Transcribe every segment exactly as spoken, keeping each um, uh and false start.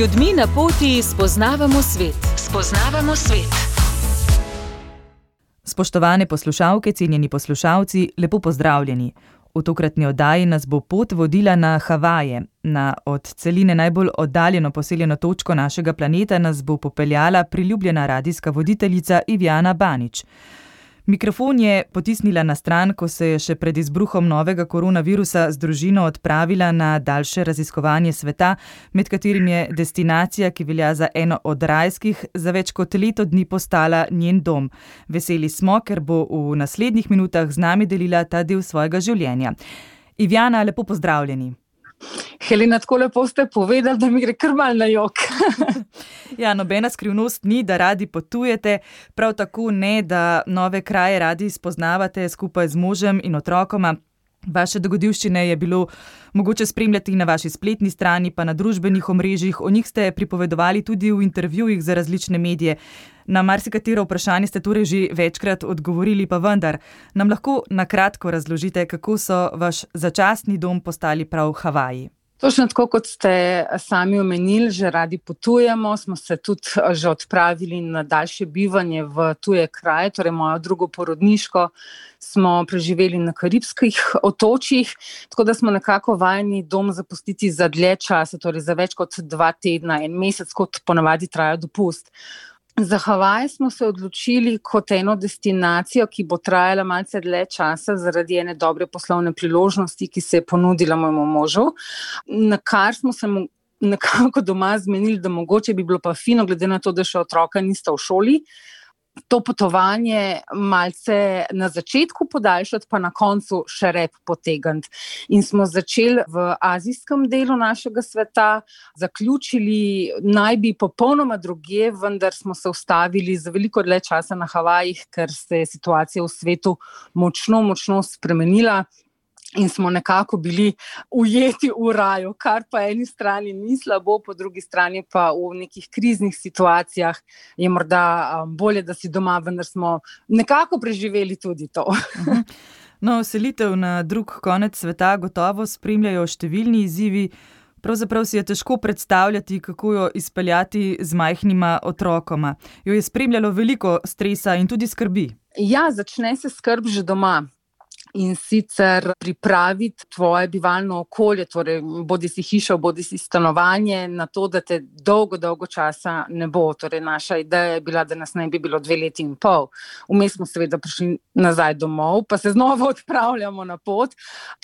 ljudmi na poti spoznavamo svet. Spoznavamo svet. Spoštovane poslušalke, cenjeni poslušalci, lepo pozdravljeni. V tokratni oddaji nas bo pot vodila na Havaje. Na od celine najbolj oddaljeno poseljeno točko našega planeta nas bo popeljala priljubljena radijska voditeljica Ivjana Banič. Mikrofon je potisnila na stran, ko se je še pred izbruhom novega koronavirusa z družino odpravila na daljše raziskovanje sveta, med katerim je destinacija, ki velja za eno od rajskih, za več kot leto dni postala njen dom. Veseli smo, ker bo v naslednjih minutah z nami delila ta del svojega življenja. Ivjana, lepo pozdravljeni. Helena, tako lepo ste povedali, da mi gre kar malo na jok. Ja, nobena skrivnost ni, da radi potujete, prav tako ne, da nove kraje radi spoznavate skupaj z možem in otrokoma. Vaše dogodivščine je bilo mogoče spremljati na vaši spletni strani, pa na družbenih omrežjih. O njih ste pripovedovali tudi v intervjujih za različne medije. Na marsikatero vprašanje ste torej že večkrat odgovorili, pa vendar. Nam lahko na kratko razložite, kako so vaš začasni dom postali prav Havaji? Točno tako, kot ste sami omenili, že radi potujemo, smo se tudi že odpravili na daljše bivanje v tuje kraje, torej mojo drugo porodniško smo preživeli na Karibskih otočjih, tako da smo nekako vajeni dom zapustiti za dlje časa, torej za več kot dva tedna, en mesec, kot ponavadi traja dopust. Za Havaje smo se odločili kot eno destinacijo, ki bo trajala malce dlje časa zaradi ene dobre poslovne priložnosti, ki se je ponudila mojemu možu, na kar smo se mu nekako doma zmenili, da mogoče bi bilo pa fino, glede na to, da še otroka nista v šoli, to potovanje malce na začetku podaljšati, pa na koncu še rep potegniti. In smo začeli v azijskem delu našega sveta, zaključili naj bi popolnoma drugje, vendar smo se ustavili za veliko dlje časa na Havajih, ker se je situacija v svetu močno, močno spremenila. In smo nekako bili ujeti v raju, kar pa eni strani ni slabo, po drugi strani pa v nekih kriznih situacijah je morda bolje, da si doma, vendar smo nekako preživeli tudi to. No, selitev na drug konec sveta gotovo spremljajo številni izzivi. Pravzaprav si je težko predstavljati, kako jo izpeljati z majhnima otrokoma. Jo je spremljalo veliko stresa in tudi skrbi. Ja, začne se skrb že doma. In sicer pripraviti tvoje bivalno okolje, torej bodi si hiša, bodi si stanovanje, na to, da te dolgo, dolgo časa ne bo. Torej naša ideja je bila, da nas ne bi bilo dve leti in pol. Vmes smo seveda prišli nazaj domov, pa se znova odpravljamo na pot.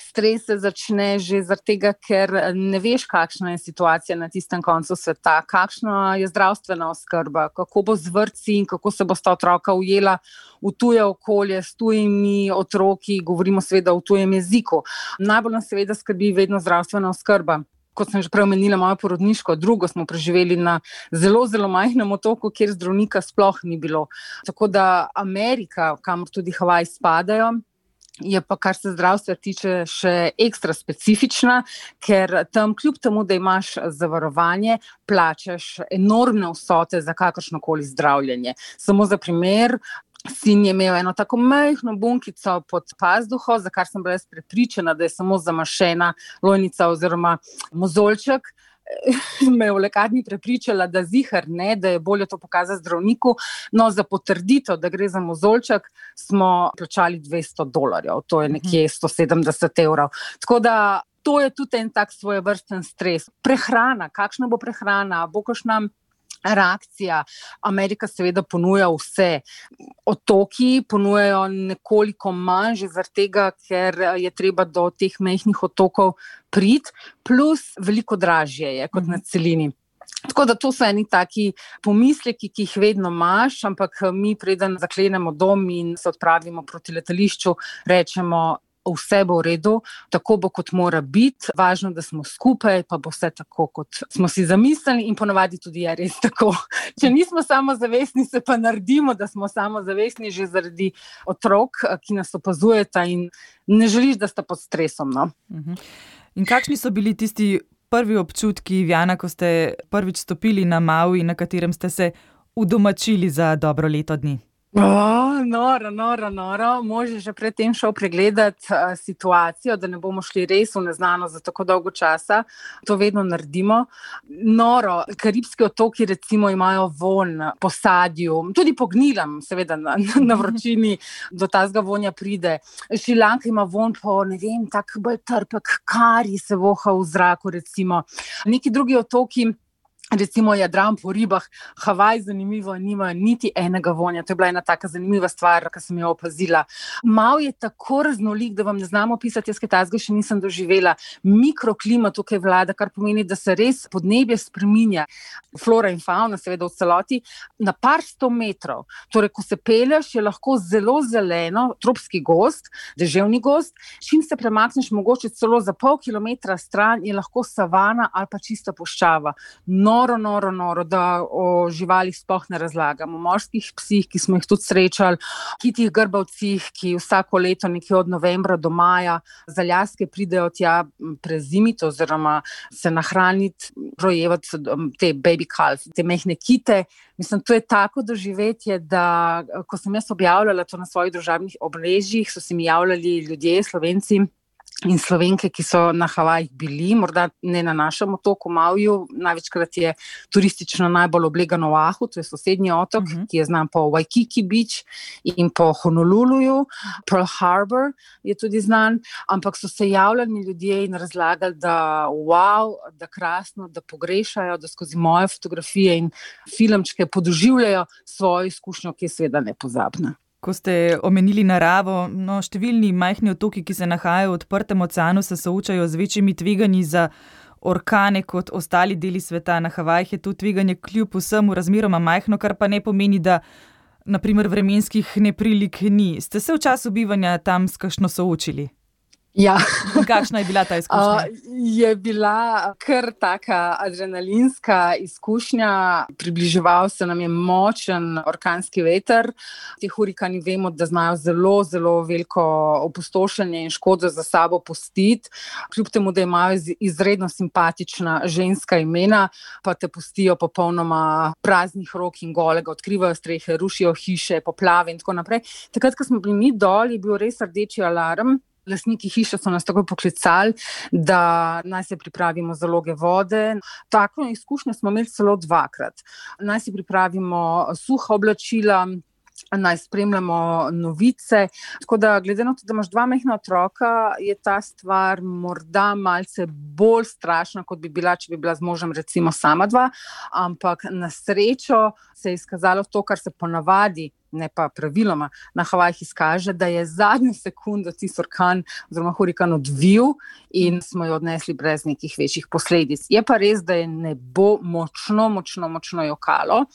Stres se začne že zaradi tega, ker ne veš, kakšna je situacija na tistem koncu sveta, kakšna je zdravstvena oskrba, kako bo z vrtci in kako se bo sta otroka ujela v tuje okolje, s tujimi otroki, govorimo seveda v tujem jeziku. Najbolj nas seveda skrbi vedno zdravstvena oskrba. Kot sem že prej omenila, mojo porodniško, drugo smo preživeli na zelo, zelo majhnem otoku, kjer zdravnika sploh ni bilo. Tako da Amerika, kamor tudi Havaji spadajo, je pa, kar se zdravstva tiče, še ekstra specifična, ker tam kljub temu, da imaš zavarovanje, plačaš enormne vsote za kakršnokoli zdravljenje. Samo za primer, sin je imel eno tako majhno bunkico pod pazduho, za kar sem bila jaz prepričana, da je samo zamašena lojnica oziroma mozolček. Me je v lekarni prepričala, da zihar ne, da je bolje to pokazati zdravniku. No, za potrditev, da gre za mozolček, smo plačali dvesto dolarjev, to je nekje sto sedemdeset evrov. Tako da to je tudi en tak svojevrsten stres. Prehrana, kakšna bo prehrana, bo kakšna reakcija. Amerika seveda ponuja vse. Otoki ponujajo nekoliko manj, že zaradi tega, ker je treba do teh majhnih otokov priti, plus veliko dražje je kot na celini. Tako da to so eni taki pomisleki, ki jih vedno imaš, ampak mi preden zaklenemo dom in se odpravimo proti letališču, rečemo, vse bo v redu, tako bo, kot mora biti. Važno, da smo skupaj, pa bo vse tako, kot smo si zamislili in ponavadi tudi je res tako. Če nismo samozavestni, se pa naredimo, da smo samozavestni že zaradi otrok, ki nas opazujeta in ne želiš, da sta pod stresom. No? In kakšni so bili tisti prvi občutki, Ivjana, ko ste prvič stopili na Maui, na katerem ste se udomačili za dobro leto dni? Oh, noro, noro, noro. Mož je že predtem šel pregledat uh, situacijo, da ne bomo šli res v neznano za tako dolgo časa. To vedno naredimo. Noro, Karibski otoki recimo imajo vonj po sadju, tudi po gnilam, seveda na, na vročini do tazga vonja pride. Šrilanka ima vonj po, ne vem, tak bolj trpek kari se voha v zraku recimo. Neki drugi otoki, recimo Jadran po ribah, Havaj zanimivo, nima niti enega vonja. To je bila ena taka zanimiva stvar, ki sem jo opazila. Mal je tako raznolik, da vam ne znam opisati, jaz kaj tazga še nisem doživela. Mikroklima tukaj vlada, kar pomeni, da se res podnebje spreminja. Flora in fauna, seveda v celoti, na par sto metrov. Torej, ko se pelješ, je lahko zelo zeleno, tropski gozd, deževni gozd. Čim se premakneš, mogoče celo za pol kilometra stran, je lahko savana ali pa čista puščava. Noro, noro, noro, da o živalih sploh ne razlagam. O morskih psih, ki smo jih tudi srečali, kitih grbavcih, ki vsako leto nekje od novembra do maja za ljaske pridejo tja prezimiti oziroma se nahraniti, rojevati te baby calf, te mehne kite. Mislim, to je tako doživetje, da ko sem jaz objavljala to na svojih družabnih omrežjih, so se mi javljali ljudje, Slovenci in Slovenke, ki so na Havajih bili, morda ne na našem otoku Mauiju, največkrat je turistično najbolj oblegan Oahu, to je sosednji otok, uh-huh. ki je znan po Waikiki Beach in po Honoluluju, Pearl Harbor je tudi znan, ampak so se javljali ljudje in razlagali, da wow, da krasno, da pogrešajo, da skozi moje fotografije in filmčke podoživljajo svojo izkušnjo, ki je seveda nepozabna. Ko ste omenili naravo, no, številni majhni otoki, ki se nahajajo v odprtem oceanu, se soočajo z večjimi tveganji za orkane kot ostali deli sveta. Na Havajih je to tveganje kljub vsemu razmeroma majhno, kar pa ne pomeni, da na primer vremenskih neprilik ni. Ste se v času bivanja tam s kakšno soočili? Ja. Kakšna je bila ta izkušnja? Uh, je bila kar taka adrenalinska izkušnja. Približeval se nam je močen orkanski veter. Ti hurikani vemo, da znajo zelo, zelo veliko opustošenje in škodo za sabo pustiti. Kljub temu, da imajo izredno simpatična ženska imena, pa te pustijo popolnoma praznih rok in golega, odkrivajo strehe, rušijo hiše, poplave in tako naprej. Takrat, ko smo bili mi dol, je bil res rdeči alarm. Lastniki hiše so nas tako poklicali, da naj se pripravimo zaloge vode. Tako izkušnjo smo imeli celo dvakrat. Naj si pripravimo suha oblačila, naj spremljamo novice. Tako da, glede na to, da imaš dva majhna otroka, je ta stvar morda malce bolj strašna, kot bi bila, če bi bila z možem recimo sama dva, ampak na srečo se je izkazalo to, kar se ponavadi, ne pa praviloma, na Havajih izkaže, da je zadnjo sekundo tisti orkan oziroma hurikan odvil in smo jo odnesli brez nekih večjih posledic. Je pa res, da je nebo močno, močno, močno jokalo.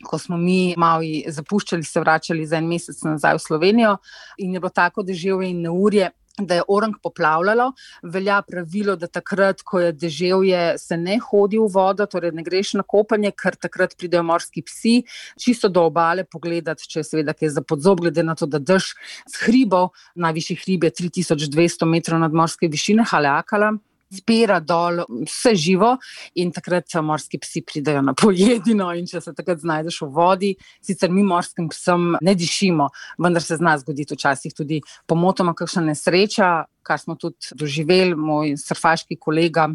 Ko smo mi Mauji zapuščali, se vračali za en mesec nazaj v Slovenijo in je bilo tako deževje in neurje, da je Orang poplavljalo. Velja pravilo, da takrat, ko je deževje, se ne hodi v vodo, torej ne greš na kopanje, ker takrat pridejo morski psi, čisto do obale pogledati, če je seveda kaj za podzob, glede na to, da dež z hribov, najvišji hrib je tri tisoč dvesto metrov nadmorske višine, Haleakala, spira dol vse živo in takrat morski psi pridejo na pojedino in če se takrat znajdeš v vodi, sicer mi morskim psom ne dišimo, vendar se zna zgoditi včasih tudi pomotoma kakšna nesreča, kar smo tudi doživeli, moj surfaški kolega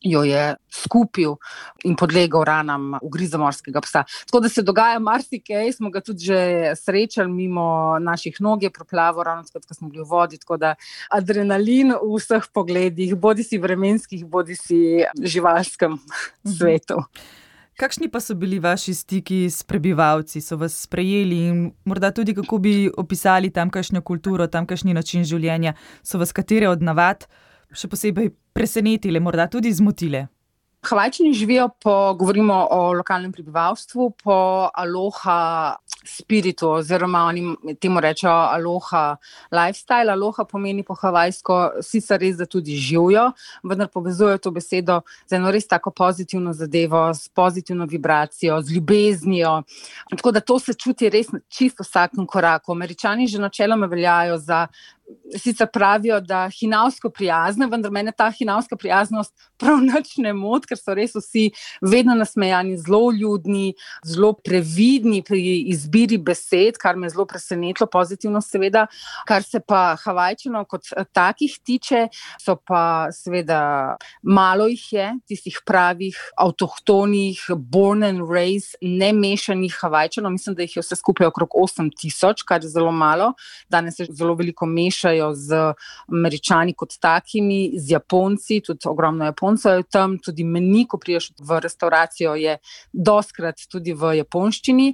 jo je skupil in podlegel ranam ugriza morskega psa. Tako da se dogaja marsikaj, smo ga tudi že srečali mimo naših nog, je proplavil ravno takrat, ko smo bili v vodi, tako da adrenalin v vseh pogledih, bodi si vremenskih, bodi si živalskem svetu. Kakšni pa so bili vaši stiki s prebivalci? So vas sprejeli in morda tudi kako bi opisali tamkajšnjo kulturo, tamkajšnji način življenja? So vas katere od navad še posebej presenetile, morda tudi zmotile? Havajčani živijo po, govorimo o lokalnem prebivalstvu, po aloha spiritu, oziroma oni temu rečejo aloha lifestyle. Aloha pomeni po havajsko sicer res, da tudi živijo, vendar povezujejo to besedo z eno res tako pozitivno zadevo, s pozitivno vibracijo, z ljubeznijo. Tako da to se čuti res čisto vsakem koraku. Američani že načeloma veljajo za sicer pravijo, da hinavsko prijazna, vendar mene ta hinavska prijaznost prav nič ne moti, ker so res vsi vedno nasmejani, zelo ljudni, zelo previdni pri izbiri besed, kar me je zelo presenetilo, pozitivno seveda. Kar se pa Havajčanov kot takih tiče, so pa seveda malo jih je, tistih pravih, avtohtonih, born and raised, nemešanih Havajčanov. Mislim, da jih je vse skupaj okrog osem tisoč, kar je zelo malo. Danes se zelo veliko mešajo z Američani kot takimi, z Japonci, tudi ogromno Japoncev je tam, tudi meni, ko priješ v restauracijo, je doskrat tudi v japonščini.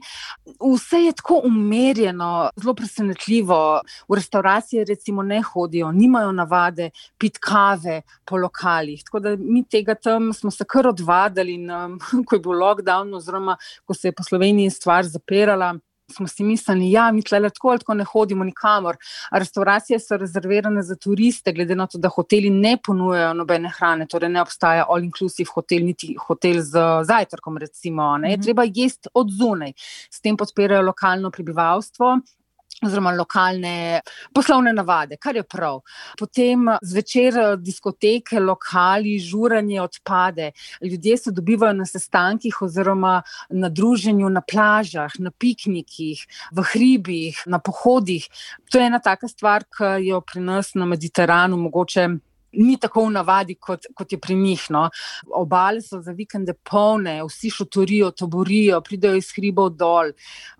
Vse je tako umerjeno, zelo presenetljivo. V restauracije recimo ne hodijo, nimajo navade pit kave po lokalih. Tako da mi tega tam smo se kar odvadali, in, um, ko je bil lockdown, oziroma ko se je po Sloveniji stvar zapirala, smo si mislili, ja, mi tlele tako ali tako ne hodimo nikamor. Restauracije so rezervirane za turiste, glede na to, da hoteli ne ponujajo nobene hrane, torej ne obstaja all-inclusive hotel, niti hotel z zajtrkom recimo, ne, je treba jesti od zunaj. S tem podpirajo lokalno prebivalstvo, oziroma lokalne poslovne navade, kar je prav. Potem zvečer diskoteke, lokali, žuranje odpade. Ljudje se dobivajo na sestankih oziroma na druženju na plažah, na piknikih, v hribih, na pohodih. To je ena taka stvar, ki jo pri nas na Mediteranu mogoče ni tako v navadi, kot, kot je pri njih. No. Obale so za vikende polne, vsi šotorijo, taborijo, pridejo iz hribov dol.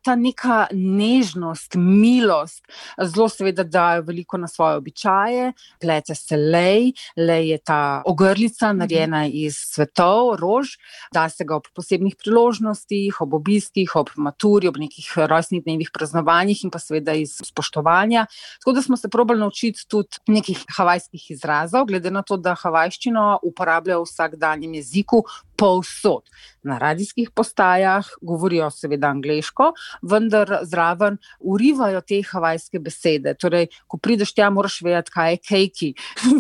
Ta neka nežnost, milost, zelo seveda dajo veliko na svoje običaje, plete se lej, lej je ta ogrlica, narejena iz cvetov, rož, da se ga ob posebnih priložnostih, ob obiskih, ob maturi, ob nekih rojstnih dnevih, praznovanjih in pa seveda iz spoštovanja. Tako da smo se probali naučiti tudi nekih havajskih izrazov, glede na to, da havajščino uporabljajo v vsakdanjem jeziku povsod. Na radijskih postajah govorijo seveda angleško, vendar zraven urivajo te havajske besede. Torej, ko prideš tja, moraš vedeti, kaj je keiki.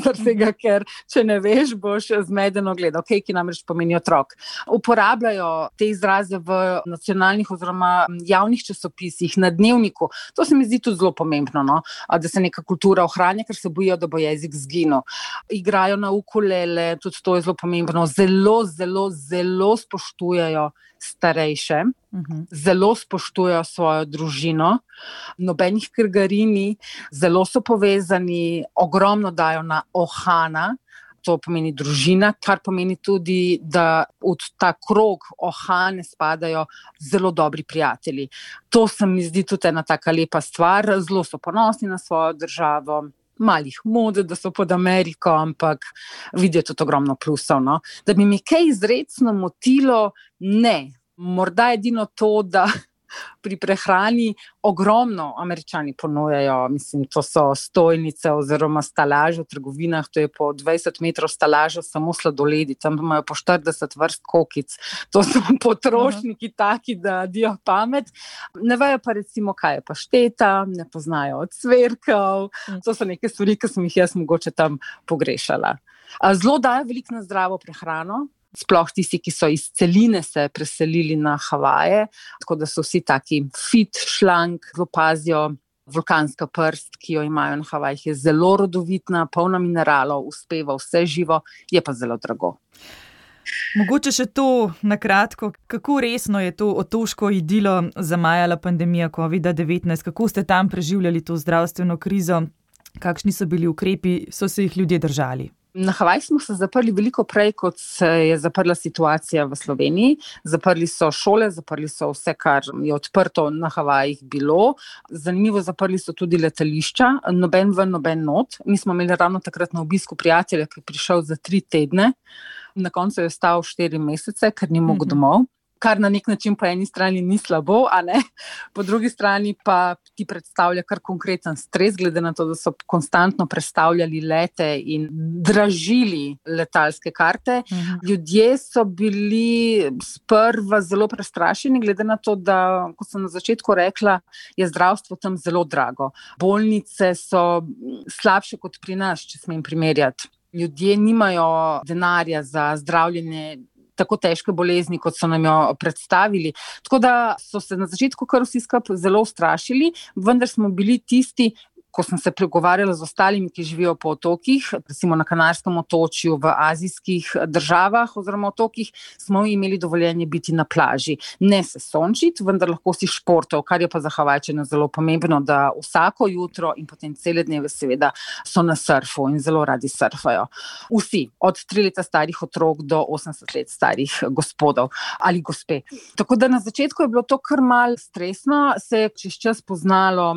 Zaradi, ker če ne veš, boš zmedeno gledal. Keiki namreč pomeni otrok. Uporabljajo te izraze v nacionalnih oziroma javnih časopisih, na dnevniku. To se mi zdi tudi zelo pomembno, no? Da se neka kultura ohranja, ker se bojijo, da bo jezik zginil. Igrajo na ukulele, tudi to je zelo pomembno. Zelo, zelo, zelo spoštujejo starejše, uh-huh. Zelo spoštujejo svojo družino, nobenih krgarini, zelo so povezani, ogromno dajo na ohana, to pomeni družina, kar pomeni tudi, da v ta krog ohane spadajo zelo dobri prijatelji. To se mi zdi tudi ena taka lepa stvar, zelo so ponosni na svojo državo. Malih mode, da so pod Ameriko, ampak vidijo tudi ogromno plusov. No? Da bi mi kaj izrecno motilo, ne. Morda edino to, da pri prehrani ogromno Američani ponujajo, mislim, to so stojnice oziroma stalaže v trgovinah, to je po dvajset metrov stalaža samo sladoledi, tam imajo po štirideset vrst kokic. To so potrošniki taki, da dijo pamet. Ne vejo pa recimo, kaj je pašteta, ne poznajo ocvirkov, to so neke stvari, ki sem jih jaz mogoče tam pogrešala. Zelo dajo veliko na zdravo prehrano, sploh tisti, ki so iz celine se preselili na Havaje, tako da so vsi taki fit, šlank, zelo pazijo. Vulkanska prst, ki jo imajo na Havajih, je zelo rodovitna, polna mineralov, uspeva vse živo, je pa zelo drago. Mogoče še to na kratko, kako resno je to otoško idilo zamajala pandemija covid devetnajst, kako ste tam preživljali to zdravstveno krizo, kakšni so bili ukrepi, so se jih ljudje držali? Na Havajih smo se zaprli veliko prej, kot se je zaprla situacija v Sloveniji. Zaprli so šole, zaprli so vse, kar je odprto na Havajih bilo. Zanimivo, zaprli so tudi letališča, noben ven, noben not. Mi smo imeli ravno takrat na obisku prijatelja, ki je prišel za tri tedne. Na koncu je ostal štiri mesece, ker ni mogel domov. Kar na nek način po eni strani ni slabo, a ne? Po drugi strani pa ti predstavlja kar konkreten stres, glede na to, da so konstantno prestavljali lete in dražili letalske karte. Uh-huh. Ljudje so bili sprva zelo prestrašeni, glede na to, da, kot sem na začetku rekla, je zdravstvo tam zelo drago. Bolnice so slabše kot pri nas, če smem primerjati. Ljudje nimajo denarja za zdravljenje tako težke bolezni, kot so nam jo predstavili. Tako da so se na začetku kar vsi skupaj zelo ustrašili, vendar smo bili tisti, ko sem se pregovarjala z ostalimi, ki živijo po otokih, recimo na Kanarskem otočju, v azijskih državah oziroma otokih, smo imeli dovoljenje biti na plaži. Ne se sončiti, vendar lahko si športov, kar je pa za Havajčane zelo pomembno, da vsako jutro in potem cele dneve seveda so na surfu in zelo radi surfajo. Vsi, od tri leta starih otrok do osemdeset let starih gospodov ali gospe. Tako da na začetku je bilo to kar malo stresno, se je čez čas poznalo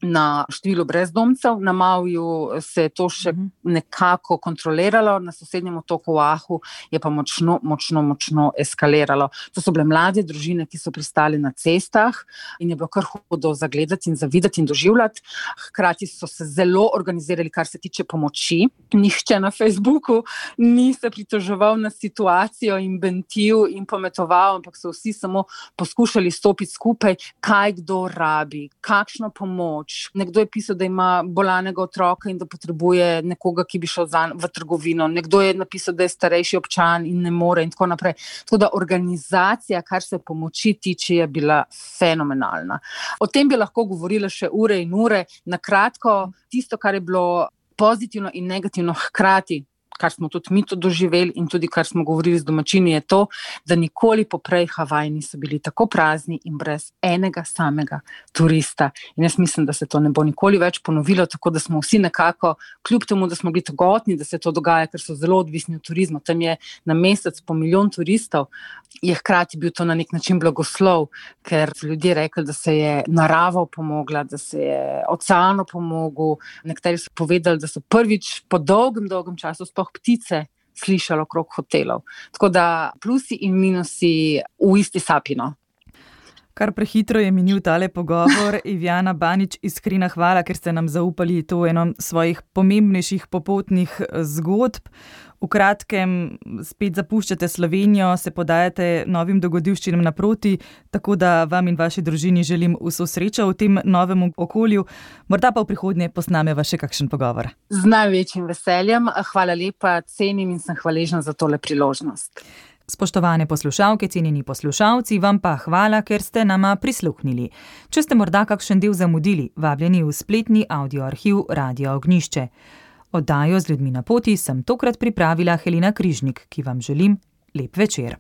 na številu brezdomcev, na Mauiju se je to še nekako kontroliralo, na sosednjem otoku Oahu je pa močno, močno, močno eskaliralo. To so bile mlade družine, ki so pristali na cestah in je bilo kar hudo zagledati in zavidati in doživljati. Hkrati so se zelo organizirali, kar se tiče pomoči. Nihče na Facebooku ni se pritoževal na situacijo in bentil in pometoval, ampak so vsi samo poskušali stopiti skupaj, kaj kdo rabi, kakšno pomoč. Nekdo je pisal, da ima bolanega otroka in da potrebuje nekoga, ki bi šel zanj v trgovino. Nekdo je napisal, da je starejši občan in ne more in tako naprej. Tako da organizacija, kar se pomoči tiče, je bila fenomenalna. O tem bi lahko govorila še ure in ure. Na kratko, tisto, kar je bilo pozitivno in negativno hkrati, kar smo tudi mi to doživeli in tudi kar smo govorili z domačini, je to, da nikoli poprej Havaji niso bili tako prazni in brez enega samega turista. In jaz mislim, da se to ne bo nikoli več ponovilo, tako da smo vsi nekako, kljub temu, da smo bili togotni, da se to dogaja, ker so zelo odvisni od turizma. Tam je na mesec po milijon turistov, je hkrati bil to na nek način blagoslov, ker so ljudje rekli, da se je narava pomogla, da se je oceanu pomogel. Nekateri so povedali, da so prvič po dolgem, dolgem času sploh ptice slišali okrog hotelov. Tako da plusi in minusi v isti sapino. Kar prehitro je minil tale pogovor. Ivjana Banič, iskrena hvala, ker ste nam zaupali to eno svojih pomembnejših popotnih zgodb. V kratkem spet zapuščate Slovenijo, se podajate novim dogodivščinam naproti, tako da vam in vaši družini želim vso srečo v tem novem okolju. Morda pa v prihodnje posnameva še kakšen pogovor. Z največjim veseljem. Hvala lepa, cenim in sem hvaležna za tole priložnost. Spoštovane poslušalke, cenjeni poslušalci, vam pa hvala, ker ste nama prisluhnili. Če ste morda kakšen del zamudili, vabljeni v spletni audioarhiv Radia Ognjišče. Oddajo Z ljudmi na poti sem tokrat pripravila Helena Križnik, ki vam želim lep večer.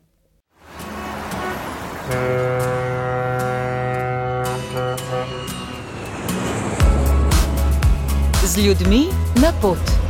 Z ljudmi na pot.